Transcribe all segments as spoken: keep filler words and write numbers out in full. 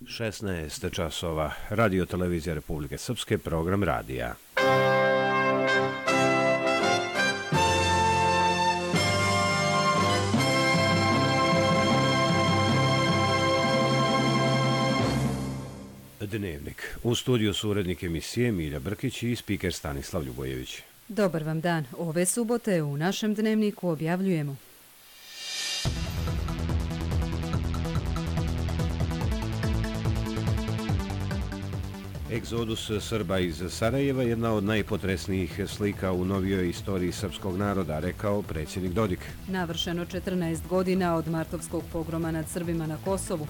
šesnaest časova, Radio televizija Republike Srpske, program radija. Dnevnik. U studiju su urednik emisije Milja Brkić i spiker Stanislav Ljubojević. Dobar vam dan. Ove subote u našem dnevniku objavljujemo: Egzodus Srba iz Sarajeva je jedna od najpotresnijih slika u novijoj istoriji srpskog naroda, rekao predsjednik Dodik. Navršeno četrnaest godina od martovskog pogroma nad Srbima na Kosovu.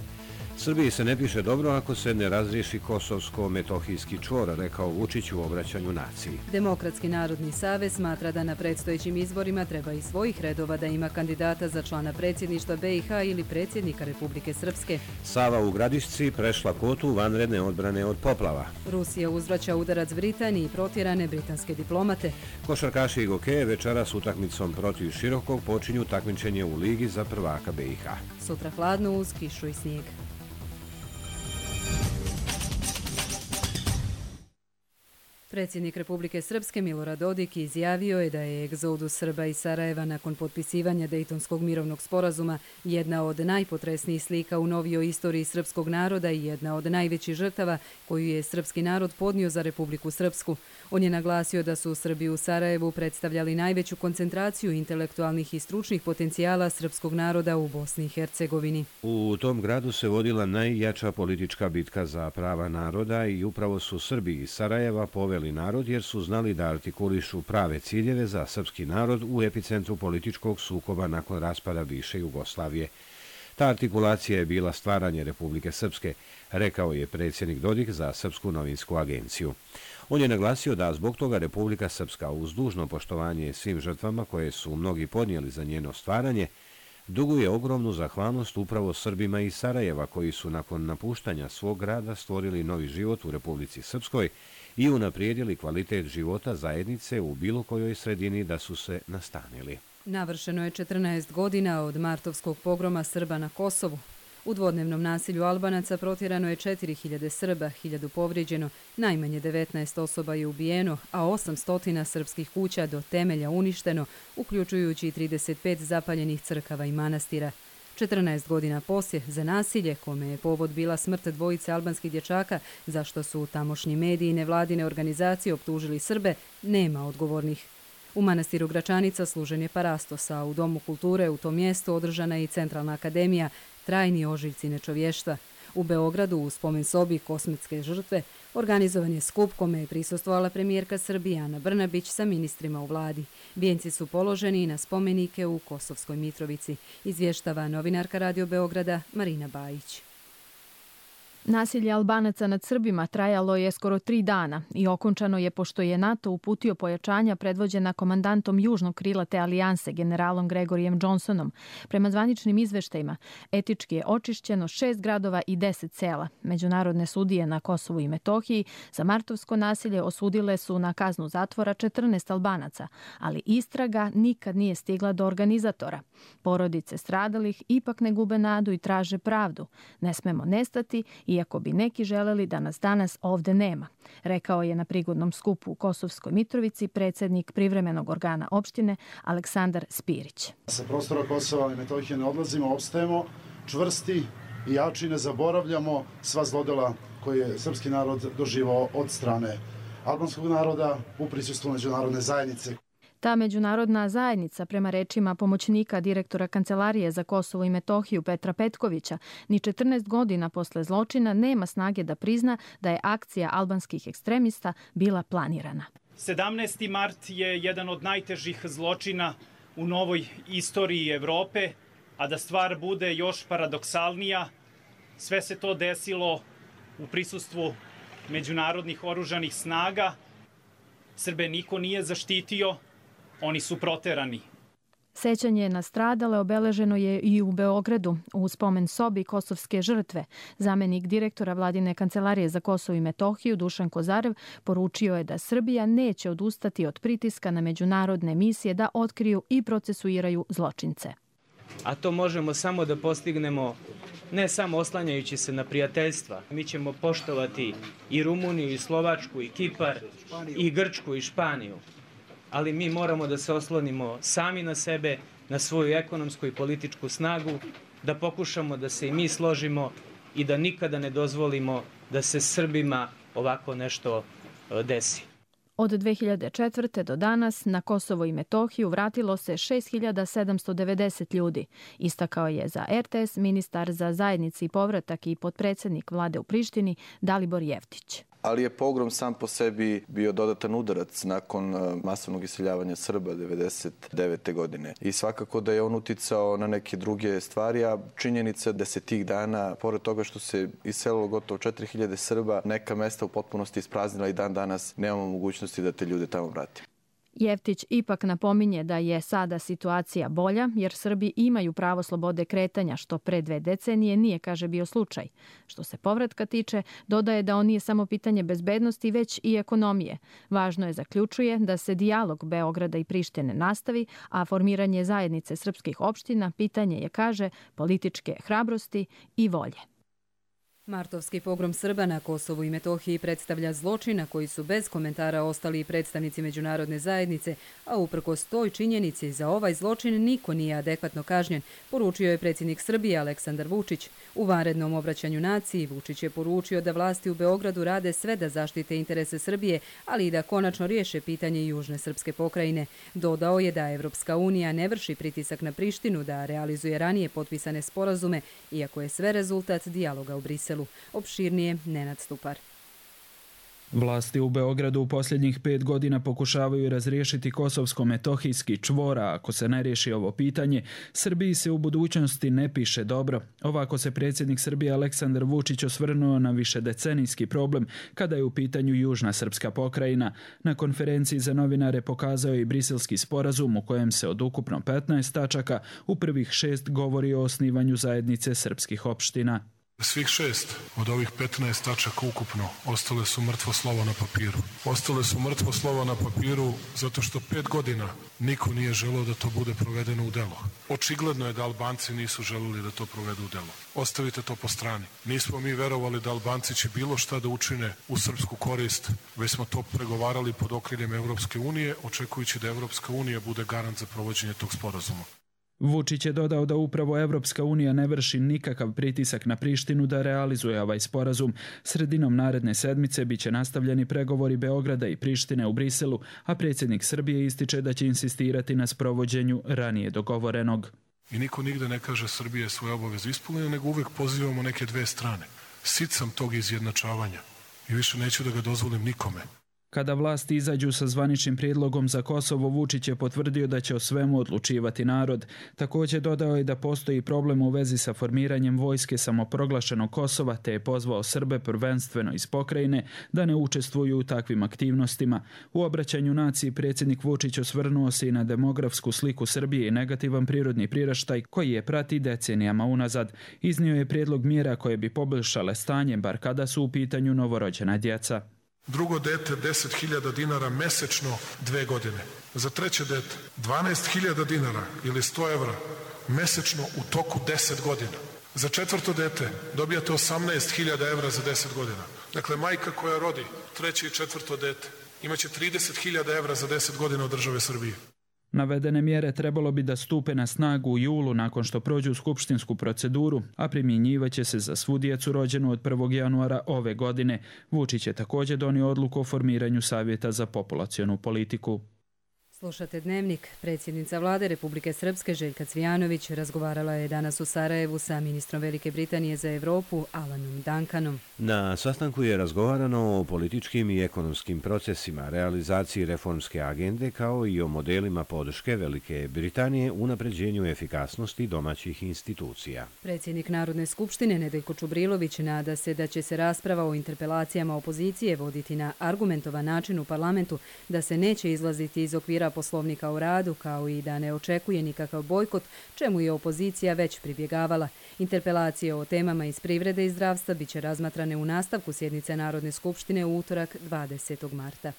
Srbiji se ne piše dobro ako se ne razriješi kosovsko-metohijski čvor, rekao Vučić u obraćanju naciji. Demokratski narodni savez smatra da na predstojećim izborima treba iz svojih redova da ima kandidata za člana predsjedništva B i H ili predsjednika Republike Srpske. Sava u Gradišci prešla kotu vanredne odbrane od poplava. Rusija uzvraća udarac Britaniji i protjerane britanske diplomate. Košarkaši Gokeje večeras utakmicom protiv Širokog počinju takmičenje u ligi za prvaka B i H. Sutra hladno uz kišu i snijeg. Predsjednik Republike Srpske Milorad Dodik izjavio je da je egzodus Srba iz Sarajeva nakon potpisivanja Dejtonskog mirovnog sporazuma jedna od najpotresnijih slika u novijoj istoriji srpskog naroda i jedna od najvećih žrtava koju je srpski narod podnio za Republiku Srpsku. On je naglasio da su Srbi u Sarajevu predstavljali najveću koncentraciju intelektualnih i stručnih potencijala srpskog naroda u Bosni i Hercegovini. U tom gradu se vodila najjača politička bitka za prava naroda i upravo su Srbi iz Sarajeva poveli narod jer su znali da artikulišu prave ciljeve za srpski narod u epicentru političkog sukoba nakon raspada bivše Jugoslavije. Ta artikulacija je bila stvaranje Republike Srpske, rekao je predsjednik Dodik za Srpsku novinsku agenciju. On je naglasio da zbog toga Republika Srpska uz dužno poštovanje svim žrtvama koje su mnogi podnijeli za njeno stvaranje, duguje ogromnu zahvalnost upravo Srbima iz Sarajeva koji su nakon napuštanja svog grada stvorili novi život u Republici Srpskoj i unaprijedili kvalitet života zajednice u bilo kojoj sredini da su se nastanili. Navršeno je četrnaest godina od martovskog pogroma Srba na Kosovu. U dvodnevnom nasilju Albanaca protjerano je četiri hiljade Srba, hiljadu povrijeđeno, najmanje devetnaest osoba je ubijeno, a osamsto srpskih kuća do temelja uništeno, uključujući trideset pet zapaljenih crkava i manastira. četrnaest godina poslije, za nasilje, kome je povod bila smrt dvojice albanskih dječaka, za što su tamošnji mediji i nevladine organizacije optužili Srbe, nema odgovornih. U manastiru Gračanica služen je parastos, a u Domu kulture u tom mjestu održana je i Centralna akademija, trajni ožiljci nečovještva. U Beogradu u spomen sobi kosmetske žrtve organizovan je skup kome je prisustvovala premijerka Srbije Ana Brnabić sa ministrima u vladi. Vijenci su položeni i na spomenike u Kosovskoj Mitrovici, izvještava novinarka Radio Beograda Marina Bajić. Nasilje Albanaca nad Srbima trajalo je skoro tri dana i okončano je pošto je NATO uputio pojačanja predvođena komandantom južnog krila te alijanse, generalom Gregorijem Johnsonom. Prema zvaničnim izveštajima, etički je očišćeno šest gradova i deset sela. Međunarodne sudije na Kosovu i Metohiji za martovsko nasilje osudile su na kaznu zatvora četrnaest Albanaca, ali istraga nikad nije stigla do organizatora. Porodice stradalih ipak ne gube nadu i traže pravdu. Ne smemo nestati, iako bi neki želeli da nas danas ovde nema, rekao je na prigodnom skupu u Kosovskoj Mitrovici predsjednik privremenog organa opštine Aleksandar Spirić. Sa prostora Kosova i Metohije ne odlazimo, opstajemo čvrsti i jači, ne zaboravljamo sva zlodela koje je srpski narod doživao od strane albanskog naroda u prisustvu međunarodne zajednice. Ta međunarodna zajednica, prema rečima pomoćnika direktora Kancelarije za Kosovo i Metohiju Petra Petkovića, ni četrnaest godina posle zločina nema snage da prizna da je akcija albanskih ekstremista bila planirana. sedamnaesti mart je jedan od najtežih zločina u novoj istoriji Evrope, a da stvar bude još paradoksalnija, sve se to desilo u prisustvu međunarodnih oružanih snaga. Srbe niko nije zaštitio, oni su proterani. Sećanje na stradale obeleženo je i u Beogradu u spomen sobi kosovske žrtve. Zamenik direktora Vladine kancelarije za Kosovo i Metohiju Dušan Kozarev poručio je da Srbija neće odustati od pritiska na međunarodne misije da otkriju i procesuiraju zločince. A to možemo samo da postignemo ne samo oslanjajući se na prijateljstva. Mi ćemo poštovati i Rumuniju, i Slovačku, i Kipar, i Grčku, i Španiju. Ali mi moramo da se oslonimo sami na sebe, na svoju ekonomsku i političku snagu, da pokušamo da se i mi složimo i da nikada ne dozvolimo da se Srbima ovako nešto desi. Od dve hiljade četvrte. do danas na Kosovo i Metohiju vratilo se šest hiljada sedamsto devedeset ljudi, istakao je za er te es ministar za zajednici i povratak i potpredsjednik vlade u Prištini Dalibor Jeftić. Ali je pogrom sam po sebi bio dodatan udarac nakon masovnog iseljavanja Srba devedeset devete. godine. I svakako da je on uticao na neke druge stvari, a činjenica da se tih dana, pored toga što se iselilo gotovo četiri hiljade Srba, neka mesta u potpunosti ispraznila i dan danas nemamo mogućnosti da te ljude tamo vratimo. Jeftić ipak napominje da je sada situacija bolja jer Srbi imaju pravo slobode kretanja, što pre dve decenije nije, kaže, bio slučaj. Što se povratka tiče, dodaje da on nije samo pitanje bezbednosti, već i ekonomije. Važno je, zaključuje, da se dijalog Beograda i Prištine nastavi, a formiranje zajednice srpskih opština pitanje je, kaže, političke hrabrosti i volje. Martovski pogrom Srba na Kosovu i Metohiji predstavlja zločin na koji su bez komentara ostali i predstavnici međunarodne zajednice, a uprkos toj činjenici za ovaj zločin niko nije adekvatno kažnjen, poručio je predsjednik Srbije Aleksandar Vučić. U vanrednom obraćanju naciji Vučić je poručio da vlasti u Beogradu rade sve da zaštite interese Srbije, ali i da konačno riješe pitanje južne srpske pokrajine. Dodao je da Evropska unija ne vrši pritisak na Prištinu da realizuje ranije potpisane sporazume, iako je sve rezultat dijaloga u Briselu. Opširnije Nenad Stupar. Vlasti u Beogradu u posljednjih pet godina pokušavaju razriješiti kosovsko-metohijski čvor, a ako se ne riješi ovo pitanje, Srbiji se u budućnosti ne piše dobro. Ovako se predsjednik Srbije Aleksandar Vučić osvrnuo na višedecenijski problem kada je u pitanju južna srpska pokrajina. Na konferenciji za novinare pokazao je i briselski sporazum u kojem se od ukupno petnaest tačaka u prvih šest govori o osnivanju zajednice srpskih opština. Svih šest od ovih petnaest tačaka ukupno ostale su mrtvo slovo na papiru. Ostale su mrtvo slovo na papiru zato što pet godina niko nije želeo da to bude provedeno u delo. Očigledno je da Albanci nisu želeli da to provedu u delo. Ostavite to po strani. Nismo mi verovali da Albanci će bilo šta da učine u srpsku korist, već smo to pregovarali pod okriljem Evropske unije, očekujući da Evropska unija bude garant za provođenje tog sporazuma. Vučić je dodao da upravo Evropska unija ne vrši nikakav pritisak na Prištinu da realizuje ovaj sporazum. Sredinom naredne sedmice biće nastavljeni pregovori Beograda i Prištine u Briselu, a predsjednik Srbije ističe da će insistirati na sprovođenju ranije dogovorenog. I niko nigde ne kaže Srbija je svoje obaveze ispunila, nego uvek pozivamo neke dve strane. Sit sam tog izjednačavanja i više neću da ga dozvolim nikome. Kada vlasti izađu sa zvaničnim prijedlogom za Kosovo, Vučić je potvrdio da će o svemu odlučivati narod. Također dodao je da postoji problem u vezi sa formiranjem vojske samoproglašenog Kosova, te je pozvao Srbe prvenstveno iz pokrajine da ne učestvuju u takvim aktivnostima. U obraćanju naciji predsjednik Vučić osvrnuo se i na demografsku sliku Srbije i negativan prirodni priraštaj koji je prati decenijama unazad. Iznio je prijedlog mjera koje bi poboljšale stanje, bar kada su u pitanju novorođena djeca. Drugo dete deset hiljada dinara mesečno dve godine. Za treće dete dvanaest hiljada dinara ili sto evra mesečno u toku deset godina. Za četvrto dete dobijate osamnaest hiljada evra za deset godina. Dakle, majka koja rodi treće i četvrto dete imaće trideset hiljada evra za deset godina od države Srbije. Navedene mjere trebalo bi da stupe na snagu u julu nakon što prođu skupštinsku proceduru, a primjenjivaće se za svu djecu rođenu od prvog januara ove godine. Vučić je također donio odluku o formiranju Savjeta za populacionu politiku. Slušate Dnevnik. Predsjednica vlade Republike Srpske Željka Cvijanović razgovarala je danas u Sarajevu sa ministrom Velike Britanije za Evropu Alanom Duncanom. Na sastanku je razgovarano o političkim i ekonomskim procesima, realizaciji reformske agende kao i o modelima podrške Velike Britanije u unapređenju efikasnosti domaćih institucija. Predsjednik Narodne skupštine Nedeljko Čubrilović nada se da će se rasprava o interpelacijama opozicije voditi na argumentovan način u parlamentu, da se neće izlaziti iz okvira Poslovnika o radu, kao i da ne očekuje nikakav bojkot, čemu je opozicija već pribjegavala. Interpelacije o temama iz privrede i zdravstva biće razmatrane u nastavku sjednice Narodne skupštine u utorak dvadesetog marta.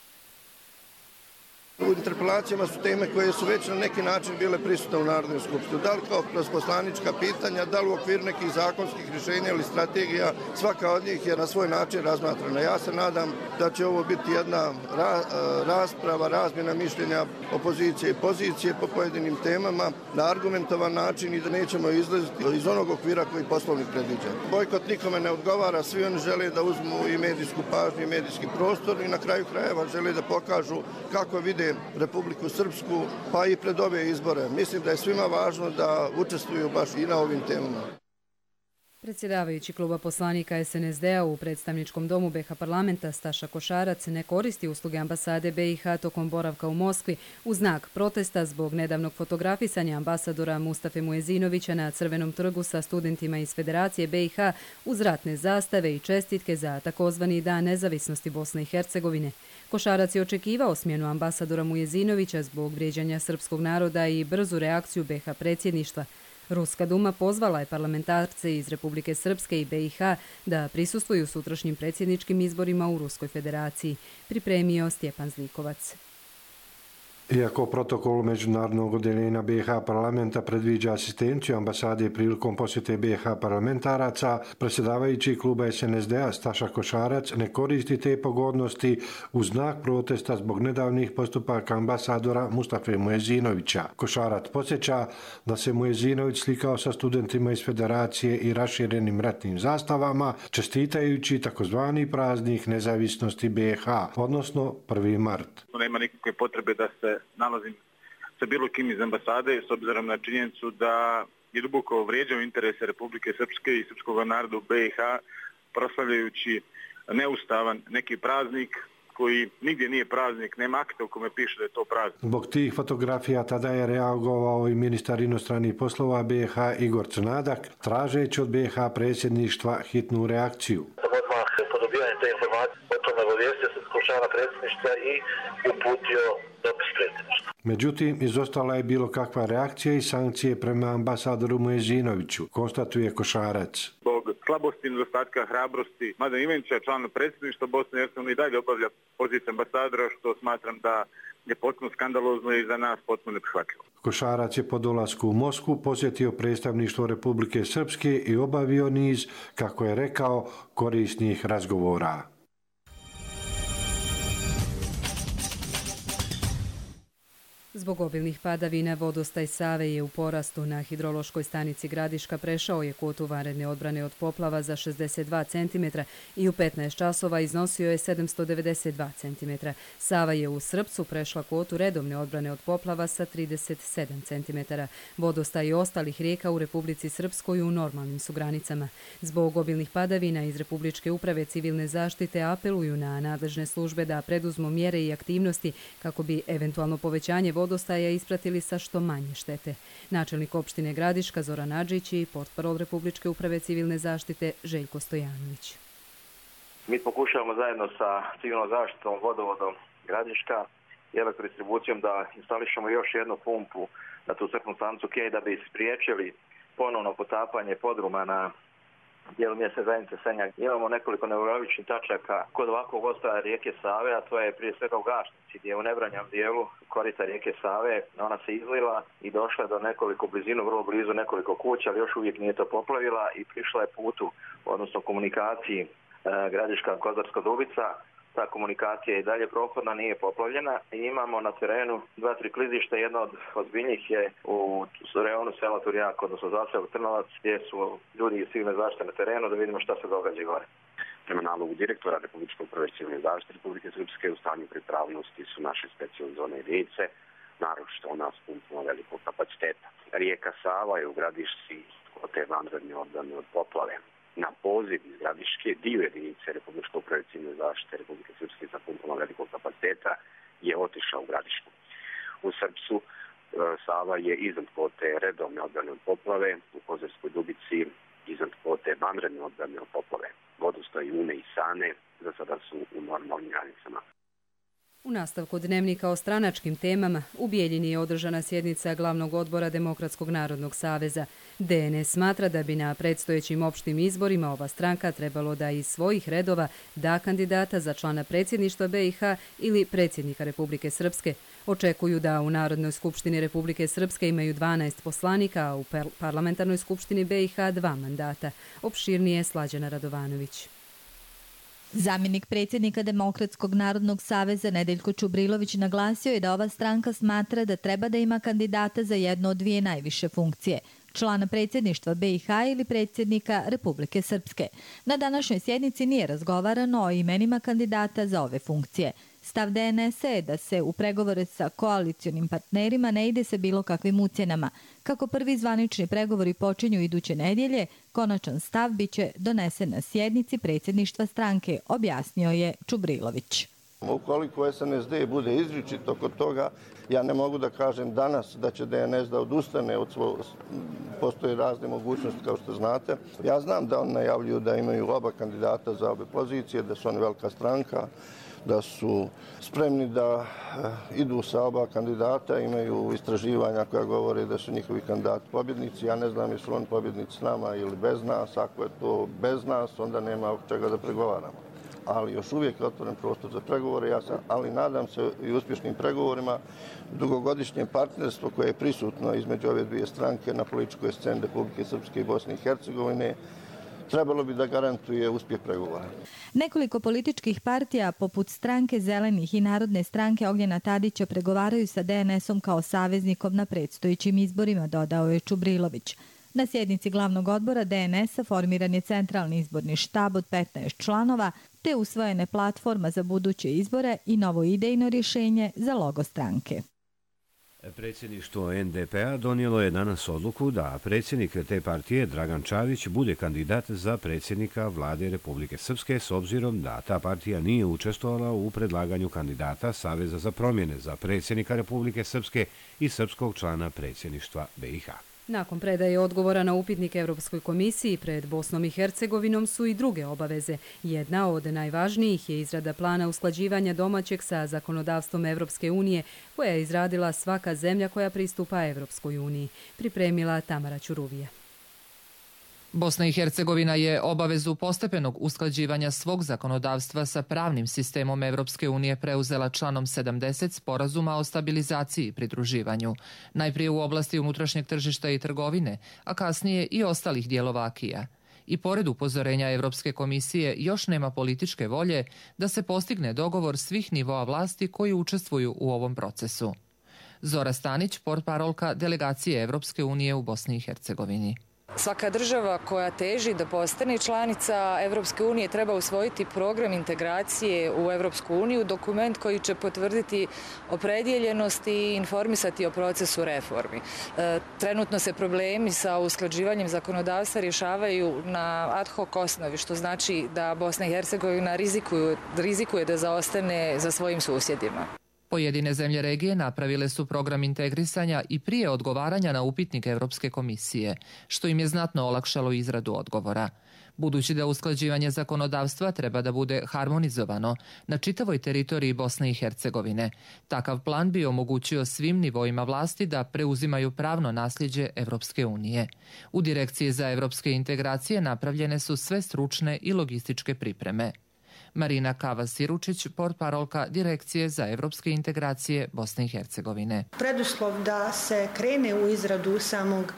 U interpelacijama su teme koje su već na neki način bile prisutne u Narodnoj skupštini. Da li kao kroz poslanička pitanja, da li u okviru nekih zakonskih rješenja ili strategija, svaka od njih je na svoj način razmatrana. Ja se nadam da će ovo biti jedna ra rasprava, razmjena mišljenja opozicije i pozicije po pojedinim temama na argumentovan način i da nećemo izlaziti iz onog okvira koji poslovnik predviđa. Bojkot nikome ne odgovara, svi oni žele da uzmu i medijsku pažnju i medijski prostor i na kraju krajeva žele da pokažu kako vide Republiku Srpsku, pa i pred ove izbore. Mislim da je svima važno da učestvuju baš i na ovim temama. Predsjedavajući kluba poslanika es en es de a u predstavničkom domu be ha parlamenta Staša Košarac ne koristi usluge ambasade be i ha tokom boravka u Moskvi u znak protesta zbog nedavnog fotografisanja ambasadora Mustafe Muezinovića na Crvenom trgu sa studentima iz Federacije be i ha uz ratne zastave i čestitke za takozvani Dan nezavisnosti Bosne i Hercegovine. Košarac je očekivao smjenu ambasadora Muezinovića zbog vrijeđanja srpskog naroda i brzu reakciju be ha predsjedništva. Ruska duma pozvala je parlamentarce iz Republike Srpske i be i ha da prisustvuju sutrašnjim predsjedničkim izborima u Ruskoj federaciji, pripremio Stjepan Zlikovac. Iako protokol međunarodnog odjeljenja be i ha parlamenta predviđa asistenciju ambasade prilikom posjete be i ha parlamentaraca, predsjedavajući kluba es en es de a Staša Košarac ne koristi te pogodnosti u znak protesta zbog nedavnih postupaka ambasadora Mustafe Muezinovića. Košarac podsjeća da se Muezinović slikao sa studentima iz Federacije i raširenim ratnim zastavama, čestitajući takozvani praznik nezavisnosti be i ha, odnosno prvi mart. Nema nikakve potrebe da se nalazim sa bilo kim iz ambasade s obzirom na činjenicu da je duboko vrijeđao interese Republike Srpske i srpskog naroda u be i ha proslavljajući neustavan neki praznik koji nigdje nije praznik, nema akta u kome piše da je to praznik. Zbog tih fotografija tada je reagovao i ministar inostranih poslova be i ha Igor Crnadak, tražeći od be i ha predsjedništva hitnu reakciju. Odmah po dobivanju te informacije o tome obavijestio se Skupština predsjedništva i uputio dopis predsjedništva. Međutim, izostala je bilo kakva reakcija i sankcije prema ambasadoru Muezinoviću, konstatuje Košarac. Zbog slabosti i nedostatka hrabrosti Mladen Ivanića, član predsjedništva Bosne i Hercegovine, i dalje obavlja poziciju ambasadora, što smatram da je potpuno skandalozno i za nas potpuno neprihvatljivo. Košarac je po dolasku u Moskvu posjetio predstavništvo Republike Srpske i obavio niz, kako je rekao, korisnih razgovora. Zbog obilnih padavina vodostaj Save je u porastu. Na hidrološkoj stanici Gradiška prešao je kvotu vanredne odbrane od poplava za šezdeset dva centimetra i u petnaest časova iznosio je sedamsto devedeset dva centimetra. Sava je u Srpcu prešla kvotu redovne odbrane od poplava sa trideset sedam centimetara. Vodostaj ostalih rijeka u Republici Srpskoj u normalnim su granicama. Zbog obilnih padavina iz Republičke uprave civilne zaštite apeluju na nadležne službe da preduzmu mjere i aktivnosti kako bi eventualno povećanje vodostaja ispratili sa što manje štete. Načelnik opštine Gradiška Zoran Adžić i portparol Republičke uprave civilne zaštite Željko Stojanović. Mi pokušavamo zajedno sa civilnom zaštitom, vodovodom Gradiška i elektrodistribucijom da instališemo još jednu pumpu na tu crpnu stanicu Kej da bi spriječili ponovno potapanje podruma na dijelu mjesne zajednice Senjak. Imamo nekoliko neuralgičnih tačaka kod ovakvog ostaja rijeke Save, a to je prije svega u Gašnici, gdje je u nebranjam dijelu korita rijeke Save. Ona se izlila i došla do nekoliko blizinu, vrlo blizu nekoliko kuća, ali još uvijek nije to poplavila i prišla je putu, odnosno komunikaciji e, Gradiška-Kozarska-Dubica. Ta komunikacija je i dalje prohodna, nije poplavljena i imamo na terenu dva, tri klizišta. Jedno od ozbiljnijih je u rejonu sela Turjak, odnosno zaseok Trnovac, gdje su ljudi iz civilne zaštite na terenu da vidimo šta se događa gore. Prema nalogu direktora Republičke uprave civilne zaštite Republike Srpske u stanju pripravnosti su naše specijalne jedinice, naročito ona s pumpama velikog kapaciteta. Rijeka Sava je u Gradišci od te vanredne odbrane od poplave. Na poziv iz Gradiške dio jedinice Republičke uprave civilne zaštite Republike Srpske sa pumpama velikog kapaciteta je otišao u Gradišku. U Srpcu e, Sava je iznad kvote redovne odbrane od poplave, u Kozarskoj Dubici iznad kvote vanredne odbrane od poplave. Vodostaj Une i Sane za sada su u normalnim granicama. U nastavku dnevnika o stranačkim temama u Bijeljini je održana sjednica glavnog odbora Demokratskog narodnog saveza. de en es smatra da bi na predstojećim opštim izborima ova stranka trebalo da iz svojih redova da kandidata za člana predsjedništva be i ha ili predsjednika Republike Srpske. Očekuju da u Narodnoj skupštini Republike Srpske imaju dvanaest poslanika, a u Parlamentarnoj skupštini B i H dva mandata. Opširnije Slađana Radovanović. Zamjenik predsjednika Demokratskog narodnog saveza Nedeljko Čubrilović naglasio je da ova stranka smatra da treba da ima kandidata za jedno od dvije najviše funkcije, člana predsjedništva B i H ili predsjednika Republike Srpske. Na današnjoj sjednici nije razgovarano o imenima kandidata za ove funkcije. Stav D N S je da se u pregovore sa koalicionim partnerima ne ide sa bilo kakvim ucjenama. Kako prvi zvanični pregovori počinju iduće nedjelje, konačan stav biće donesen na sjednici predsjedništva stranke, objasnio je Čubrilović. Ukoliko S N S D bude izričito kod toga, ja ne mogu da kažem danas da će D N S da odustane od svog, postoje razne mogućnosti kao što znate. Ja znam da oni najavljuju da imaju oba kandidata za obe pozicije, da su oni velika stranka, da su spremni da idu sa oba kandidata, imaju istraživanja koja govore da su njihovi kandidati pobjednici. Ja ne znam jesu oni pobjednici s nama ili bez nas. Ako je to bez nas, onda nema oko čega da pregovaramo. Ali još uvijek je otvoren prostor za pregovore, ja sam, ali nadam se i uspješnim pregovorima. Dugogodišnje partnerstvo koje je prisutno između ove dvije stranke na političkoj sceni Republike Srpske i Bosne i Hercegovine trebalo bi da garantuje uspjeh pregovora. Nekoliko političkih partija, poput Stranke zelenih i Narodne stranke Ognjena Tadića, pregovaraju sa D N S-om kao saveznikom na predstojećim izborima, dodao je Čubrilović. Na sjednici glavnog odbora D N S-a formiran je centralni izborni štab od petnaest članova, te usvojene platforma za buduće izbore i novo idejno rješenje za logo stranke. Predsjedništvo N D P-a donijelo je danas odluku da predsjednik te partije Dragan Čavić bude kandidat za predsjednika vlade Republike Srpske s obzirom da ta partija nije učestvovala u predlaganju kandidata Saveza za promjene za predsjednika Republike Srpske i srpskog člana predsjedništva B i H. Nakon predaje odgovora na upitnik Evropskoj komisiji pred Bosnom i Hercegovinom su i druge obaveze. Jedna od najvažnijih je izrada plana usklađivanja domaćeg sa zakonodavstvom Evropske unije, koja je izradila svaka zemlja koja pristupa Evropskoj uniji. Pripremila Tamara Ćuruvija. Bosna i Hercegovina je obavezu postepenog usklađivanja svog zakonodavstva sa pravnim sistemom Evropske unije preuzela članom sedamdeset Sporazuma o stabilizaciji i pridruživanju. Najprije u oblasti unutrašnjeg tržišta i trgovine, a kasnije i ostalih dijelova akija. I pored upozorenja Evropske komisije još nema političke volje da se postigne dogovor svih nivoa vlasti koji učestvuju u ovom procesu. Zora Stanić, portparolka delegacije Evropske unije u Bosni i Hercegovini. Svaka država koja teži da postane članica Evropske unije treba usvojiti program integracije u Evropsku uniju, dokument koji će potvrditi opredjeljenost i informisati o procesu reformi. Trenutno se problemi sa usklađivanjem zakonodavstva rješavaju na ad hoc osnovi, što znači da Bosna i Hercegovina rizikuje da zaostane za svojim susjedima. Pojedine zemlje regije napravile su program integrisanja i prije odgovaranja na upitnik Evropske komisije, što im je znatno olakšalo izradu odgovora. Budući da usklađivanje zakonodavstva treba da bude harmonizovano na čitavoj teritoriji Bosne i Hercegovine, takav plan bi omogućio svim nivoima vlasti da preuzimaju pravno nasljeđe Evropske unije. U Direkciji za evropske integracije napravljene su sve stručne i logističke pripreme. Marina Kava-Siručić, portparolka Direkcije za evropske integracije Bosne i Hercegovine. Preduslov da se krene u izradu samog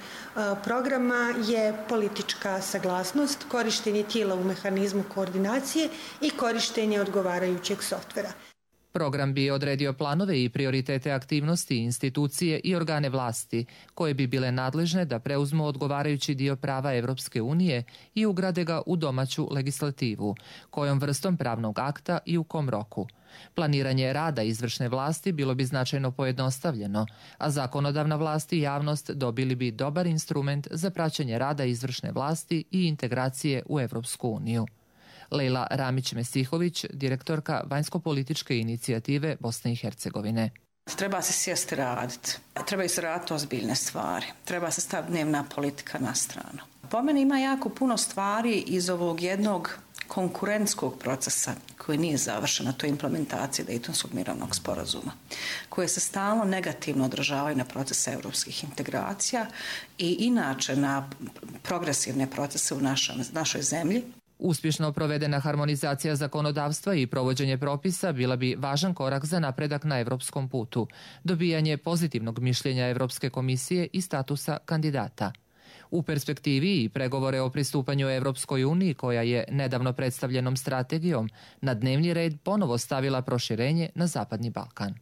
programa je politička saglasnost, korištenje tijela u mehanizmu koordinacije i korištenje odgovarajućeg softvera. Program bi odredio planove i prioritete aktivnosti, institucije i organe vlasti, koje bi bile nadležne da preuzmu odgovarajući dio prava Evropske unije i ugrade ga u domaću legislativu, kojom vrstom pravnog akta i u kom roku. Planiranje rada izvršne vlasti bilo bi značajno pojednostavljeno, a zakonodavna vlast i javnost dobili bi dobar instrument za praćenje rada izvršne vlasti i integracije u Evropsku uniju. Lejla Ramić-Mesihović, direktorka vanjsko-političke inicijative Bosne i Hercegovine. Treba se sjesti raditi. Trebaju se raditi ozbiljne stvari. Treba se staviti dnevna politika na stranu. Po meni ima jako puno stvari iz ovog jednog konkurentskog procesa koji nije završen, a to je implementacija Dejtonskog mirovnog sporazuma, koje se stalno negativno odražavaju na procese europskih integracija i inače na progresivne procese u našoj zemlji. Uspješno provedena harmonizacija zakonodavstva i provođenje propisa bila bi važan korak za napredak na evropskom putu, dobijanje pozitivnog mišljenja Evropske komisije i statusa kandidata. U perspektivi i pregovore o pristupanju Evropskoj uniji, koja je nedavno predstavljenom strategijom na dnevni red ponovo stavila proširenje na Zapadni Balkan.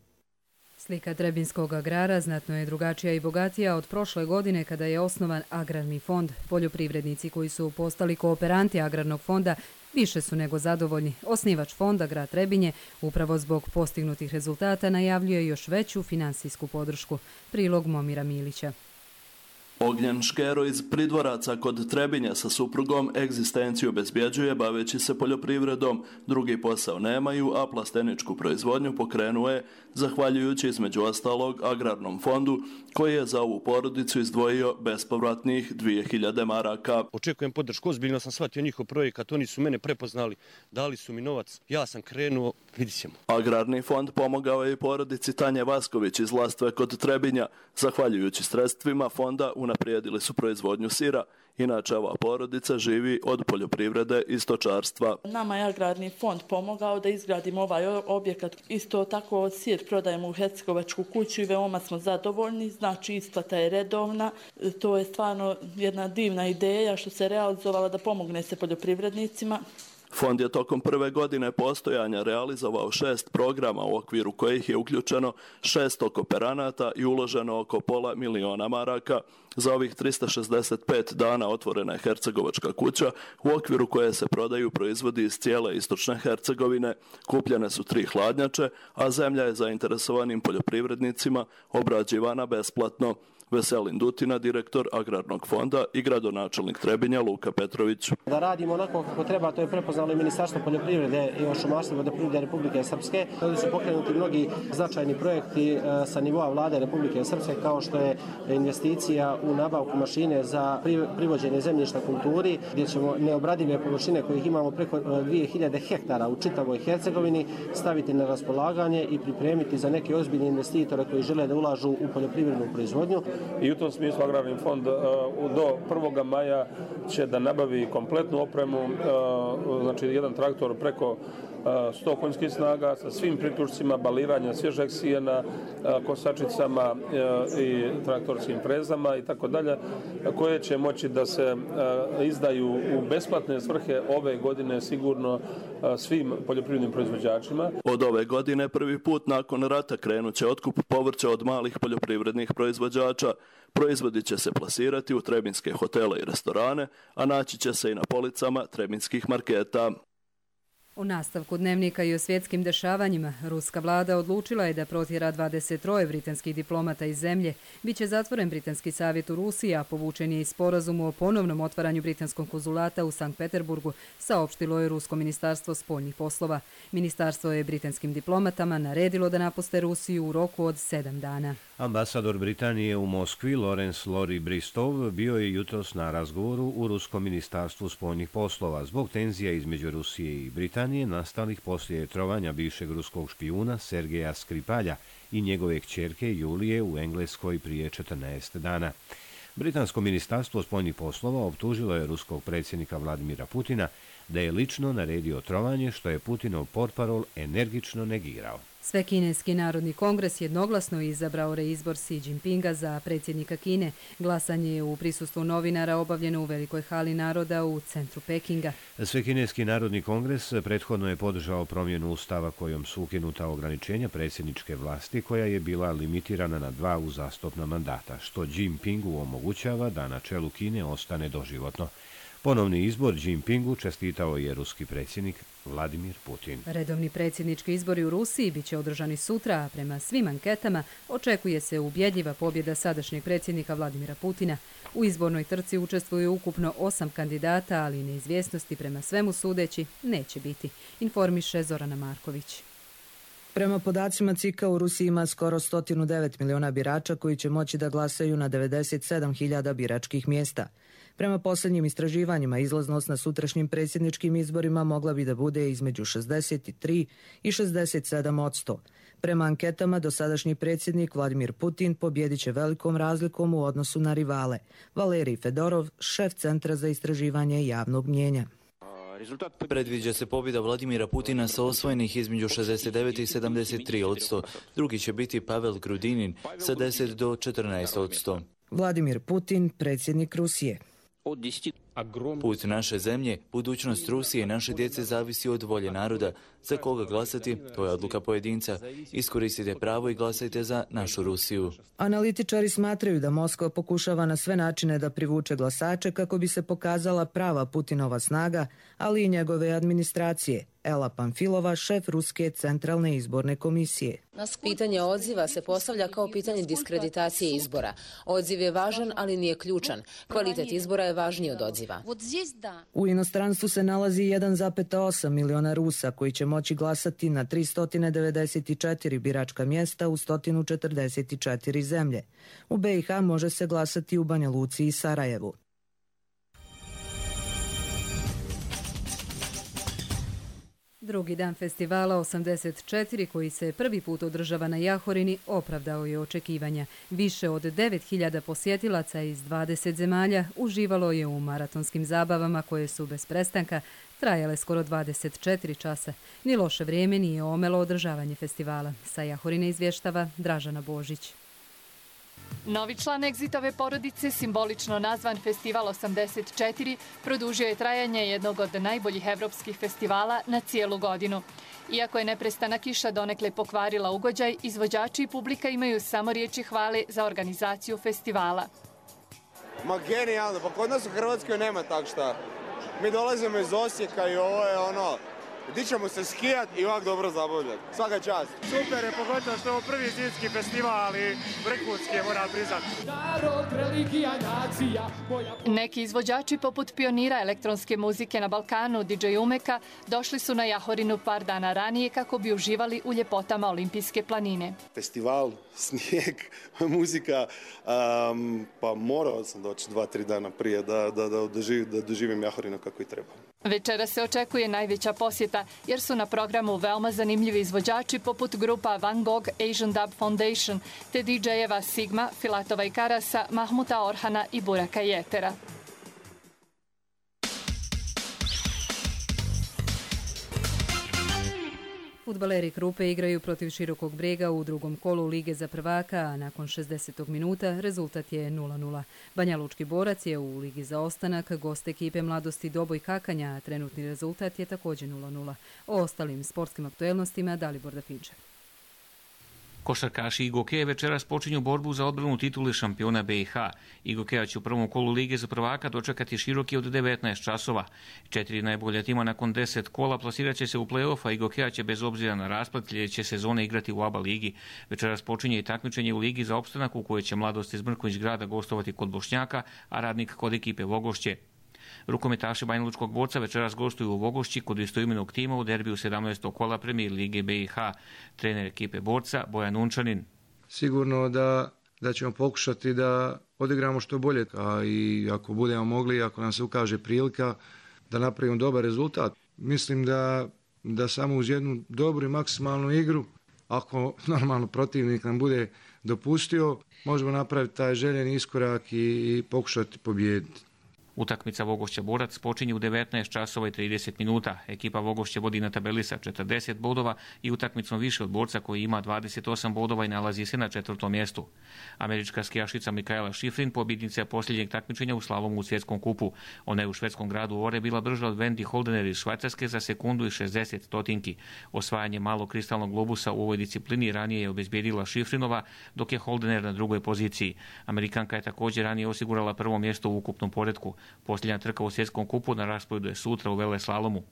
Slika Trebinskog agrara znatno je drugačija i bogatija od prošle godine kada je osnovan Agrarni fond. Poljoprivrednici koji su postali kooperanti Agrarnog fonda više su nego zadovoljni. Osnivač fonda, grad Trebinje, upravo zbog postignutih rezultata najavljuje još veću finansijsku podršku. Prilog Momira Milića. Ognjen Škero iz Pridvoraca kod Trebinja sa suprugom egzistenciju obezbjeđuje baveći se poljoprivredom. Drugi posao nemaju, a plasteničku proizvodnju pokrenuje zahvaljujući između ostalog Agrarnom fondu koji je za ovu porodicu izdvojio bespovratnih dvije hiljade maraka. Očekujem podršku, ozbiljno sam shvatio njihov projekat, oni su mene prepoznali, dali su mi novac, ja sam krenuo, vidit ćemo. Agrarni fond pomogao je i porodici Tanje Vasković iz Lastve kod Trebinja. Zahvaljujući sredstvima fonda unaprijedili su proizvodnju sira. Inače, ova porodica živi od poljoprivrede i stočarstva. Nama je Agrarni fond pomogao da izgradimo ovaj objekat. Isto tako sir prodajemo u Hercegovačku kuću i veoma smo zadovoljni. Znači, isplata je redovna. To je stvarno jedna divna ideja što se realizovala da pomogne se poljoprivrednicima. Fond je tokom prve godine postojanja realizovao šest programa u okviru kojih je uključeno šesto kooperanata i uloženo oko pola miliona maraka. Za ovih trista šezdeset pet dana otvorena je Hercegovačka kuća u okviru koje se prodaju proizvodi iz cijele istočne Hercegovine. Kupljene su tri hladnjače, a zemlja je zainteresovanim poljoprivrednicima obrađivana besplatno. Veselin Dutina, direktor Agrarnog fonda i gradonačelnik Trebinja Luka Petrović. Da radimo onako kako treba, to je prepoznalo i Ministarstvo poljoprivrede i šumarstva i vodoprivrede Republike Srpske. Ovdje su pokrenuti mnogi značajni projekti sa nivoa vlade Republike Srpske, kao što je investicija u nabavku mašine za privođenje zemljišta kulturi, gdje ćemo neobradive površine kojih imamo preko dvije hiljade hektara u čitavoj Hercegovini staviti na raspolaganje i pripremiti za neke ozbiljne investitore koji žele da ulažu u poljoprivrednu proizvodnju. I u tom smislu Agrarni fond do prvog maja će da nabavi kompletnu opremu, znači jedan traktor preko sto konjskih snaga sa svim priključcima baliranja svježeg sijena, kosačicama i traktorskim frezama i tako dalje, koje će moći da se izdaju u besplatne svrhe ove godine sigurno svim poljoprivrednim proizvođačima. Od ove godine prvi put nakon rata krenut će otkup povrća od malih poljoprivrednih proizvođača. Proizvodi će se plasirati u trebinske hotele i restorane, a naći će se i na policama trebinskih marketa. U nastavku dnevnika i o svjetskim dešavanjima, ruska vlada odlučila je da protjera dvadeset troje britanskih diplomata iz zemlje. Biće zatvoren Britanski savjet u Rusiji, a povučen je i sporazum o ponovnom otvaranju britanskog konzulata u Sankt Peterburgu, saopštilo je Rusko ministarstvo spoljnih poslova. Ministarstvo je britanskim diplomatama naredilo da napuste Rusiju u roku od sedam dana. Ambasador Britanije u Moskvi, Lawrence Lori Bristov, bio je jutros na razgovoru u Ruskom ministarstvu spoljnih poslova zbog tenzija između Rusije i Britanije nastalih poslije trovanja bivšeg ruskog špijuna Sergeja Skripalja i njegove kćerke Julije u Engleskoj prije četrnaest dana. Britansko ministarstvo spoljnih poslova optužilo je ruskog predsjednika Vladimira Putina da je lično naredio trovanje, što je Putinov portparol energično negirao. Svekineski narodni kongres jednoglasno izabrao reizbor Xi Jinpinga za predsjednika Kine. Glasanje je u prisustvu novinara obavljeno u Velikoj hali naroda u centru Pekinga. Svekineski narodni kongres prethodno je podržao promjenu ustava kojom su ukinuta ograničenja predsjedničke vlasti koja je bila limitirana na dva uzastopna mandata, što Jinpingu omogućava da na čelu Kine ostane doživotno. Ponovni izbor Jinpingu čestitao je ruski predsjednik Vladimir Putin. Redovni predsjednički izbori u Rusiji biće održani sutra, a prema svim anketama očekuje se ubjedljiva pobjeda sadašnjeg predsjednika Vladimira Putina. U izbornoj trci učestvuje ukupno osam kandidata, ali neizvjesnosti prema svemu sudeći neće biti, informiše Zorana Marković. Prema podacima C I K-a u Rusiji ima skoro sto devet miliona birača koji će moći da glasaju na devedeset sedam hiljada biračkih mjesta. Prema posljednjim istraživanjima, izlaznost na sutrašnjim predsjedničkim izborima mogla bi da bude između šezdeset tri i šezdeset sedam odsto. Prema anketama, dosadašnji predsjednik Vladimir Putin pobjedit će velikom razlikom u odnosu na rivale. Valerij Fedorov, šef Centra za istraživanje javnog mnjenja. Predviđa se pobjeda Vladimira Putina sa osvojenih između šezdeset devet i sedamdeset tri posto. Drugi će biti Pavel Grudinin sa deset do četrnaest posto. Vladimir Putin, predsjednik Rusije. Put naše zemlje, budućnost Rusije i naše djece zavisi od volje naroda. Za koga glasati, to je odluka pojedinca. Iskoristite pravo i glasajte za našu Rusiju. Analitičari smatraju da Moskva pokušava na sve načine da privuče glasače kako bi se pokazala prava Putinova snaga, ali i njegove administracije. Ela Pamfilova, šef Ruske centralne izborne komisije. Pitanje odziva se postavlja kao pitanje diskreditacije izbora. Odziv je važan, ali nije ključan. Kvalitet izbora je važniji od odziva. U inostranstvu se nalazi jedan zarez osam miliona Rusa koji će moći glasati na tristo devedeset četiri biračka mjesta u sto četrdeset četiri zemlje. U B i H može se glasati u Banja Luci i Sarajevu. Drugi dan festivala osamdeset četiri, koji se prvi put održava na Jahorini, opravdao je očekivanja. Više od devet hiljada posjetilaca iz dvadeset zemalja uživalo je u maratonskim zabavama koje su bez prestanka trajale skoro dvadeset četiri časa. Ni loše vrijeme nije omelo održavanje festivala. Sa Jahorine izvještava Dražana Božić. Novi član Egzitove porodice, simbolično nazvan Festival osamdeset četiri, produžio je trajanje jednog od najboljih evropskih festivala na cijelu godinu. Iako je neprestana kiša donekle pokvarila ugođaj, izvođači i publika imaju samo riječi hvale za organizaciju festivala. Ma genijalno, pa kod nas u Hrvatskoj nema tak šta. Mi dolazimo iz Osijeka i ovo je ono... Gdje ćemo se skijati i ovak dobro zabavljati. Svaka čast. Super je, pogotovo što je ovo prvi zimski festival, ali vrhunski je, moram priznati. Neki izvođači poput pionira elektronske muzike na Balkanu, D J Umeka, došli su na Jahorinu par dana ranije kako bi uživali u ljepotama Olimpijske planine. Festival, snijeg, muzika, um, pa morao sam doći dva, tri dana prije da, da, da, doživim, da doživim Jahorinu kako i treba. Večera se očekuje najveća posjeta, jer su na programu veoma zanimljivi izvođači poput grupa Van Gogh Asian Dub Foundation, te D J-eva Sigma, Filatova i Karasa, Mahmuta Orhana i Buraka Jetera. Fudbaleri Krupe igraju protiv Širokog Brega u drugom kolu Lige za prvaka, a nakon šezdesetog minuta rezultat je nula nula. Banjalučki Borac je u Ligi za ostanak gost ekipe Mladosti Doboj Kakanja, a trenutni rezultat je također nula nula. O ostalim sportskim aktuelnostima Dalibor Dafinče. Košarkaši Igokeje večeras počinju borbu za odbranu titule šampiona B i H. Igokeja će u prvom kolu Lige za prvaka dočekati Široki od devetnaest časova. Četiri najbolja tima nakon deset kola plasirat će se u play-off, a Igokeja će bez obzira na rasplet sljedeće sezone igrati u A B A ligi. Večeras počinje i takmičenje u Ligi za opstanak u kojoj će Mladost iz Mrkonjić Grada gostovati kod Bošnjaka, a Radnik kod ekipe Vogošće. Rukometaši Banjalučkog Borca večeras gostuju u Vogošći kod istoimenog tima u derbiju sedamnaestog kola Premijer Lige B i H. Trener ekipe Borca Bojan Unčanin. Sigurno da, da ćemo pokušati da odigramo što bolje, a i ako budemo mogli, ako nam se ukaže prilika da napravimo dobar rezultat. Mislim da, da samo uz jednu dobru i maksimalnu igru, ako normalno protivnik nam bude dopustio, možemo napraviti taj željeni iskorak i, i pokušati pobijediti. Utakmica Vogošća Borac počinje u devetnaest časova i trideset minuta. Ekipa Vogošće vodi na tabeli sa četrdeset bodova i utakmicom više od Borca koji ima dvadeset osam bodova i nalazi se na četvrtom mjestu. Američka skijašica Mikaela Šifrin pobjednica je posljednjeg takmičenja u slalomu u svjetskom kupu. Ona je u švedskom gradu Ore bila brža od Wendy Holdener iz Švajcarske za sekundu i šezdeset stotinki. Osvajanje malog kristalnog globusa u ovoj disciplini ranije je obezbijedila Šifrinova, dok je Holdener na drugoj poziciji. Amerikanka je također ranije osigurala prvo mjesto u ukupnom poretku. Posljednja trka u svjetskom kupu na rasporedu je sutra u veleslalomu.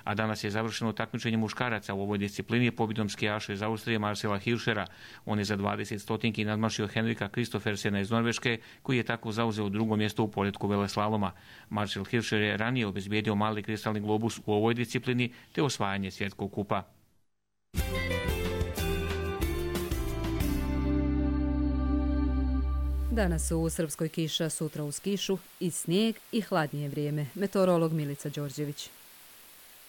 A danas je završeno takmičenje muškaraca u ovoj disciplini pobjedom skijaša iz Austrije Marcela Hirschera. On je za dvadeset stotinki nadmašio Henrika Kristofersena iz Norveške, koji je tako zauzeo drugo mjesto u poretku veleslaloma. Marcel Hirscher je ranije obezbijedio mali kristalni globus u ovoj disciplini te osvajanje svjetskog kupa. Danas u Srpskoj kiša, sutra uz kišu i snijeg i hladnije vrijeme. Meteorolog Milica Đorđević.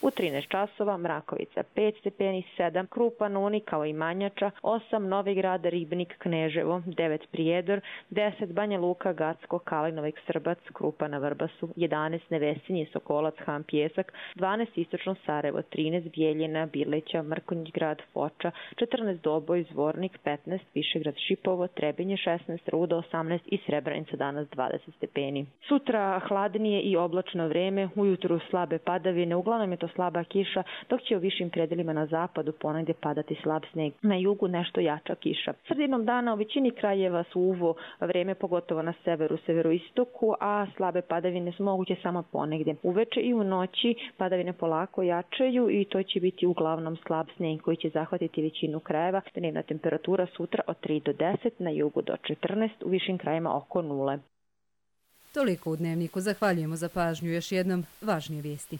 U trinaest časova Mrakovica pet stepeni, sedam Krupan, Uni kao i Manjača, osam Novi Grad, Ribnik, Kneževo, devet Prijedor, deset Banja Luka, Gacko, Kalinovik, Srbac, Krupa na Vrbasu, jedanaest Nevesinje, Sokolac, Han, Pjesak, dvanaest Istočno Sarajevo, trinaest Bijeljina, Birleća, Mrkonjić Grad, Foča, četrnaest Doboj, Zvornik, petnaest Višegrad, Šipovo, Trebinje, šesnaest Rudo, osamnaest i Srebrenica danas dvadeset stepeni. Sutra hladnije i oblačno vreme, ujutru slabe padavine, uglavnom je to slaba kiša, dok će u višim predelima na zapadu ponegdje padati slab sneg. Na jugu nešto jača kiša. Sredinom dana u većini krajeva su uvo vreme, pogotovo na severu, severoistoku, a slabe padavine su moguće samo ponegdje. Uveče i u noći padavine polako jačaju i to će biti uglavnom slab sneg koji će zahvatiti većinu krajeva. Dnevna temperatura sutra od tri do deset, na jugu do četrnaest, u višim krajevima oko nule. Toliko u Dnevniku. Zahvaljujemo za pažnju. Još jednom važnije vijesti.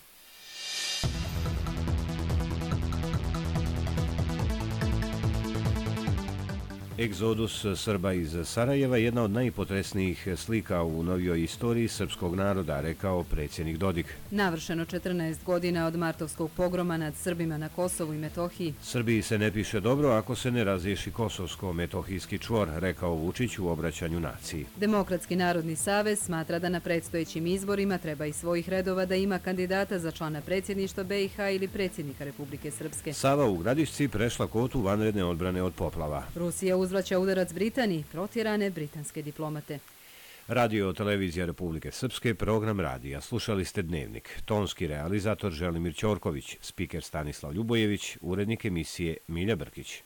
Egzodus Srba iz Sarajeva je jedna od najpotresnijih slika u novijoj istoriji srpskog naroda, rekao predsjednik Dodik. Navršeno četrnaest godina od martovskog pogroma nad Srbima na Kosovu i Metohiji. Srbiji se ne piše dobro ako se ne razriješi kosovsko-metohijski čvor, rekao Vučić u obraćanju naciji. Demokratski narodni savez smatra da na predstojećim izborima treba iz svojih redova da ima kandidata za člana predsjedništva B i H ili predsjednika Republike Srpske. Sava u Gradišci prešla kotu vanredne odbrane od poplava. Rusija uzvraća udarac Britaniji, protjerane britanske diplomate. Radio televizija Republike Srpske, program radija. Slušali ste Dnevnik. Tonski realizator Želimir Ćorković, spiker Stanislav Ljubojević, urednik emisije Milja Brkić.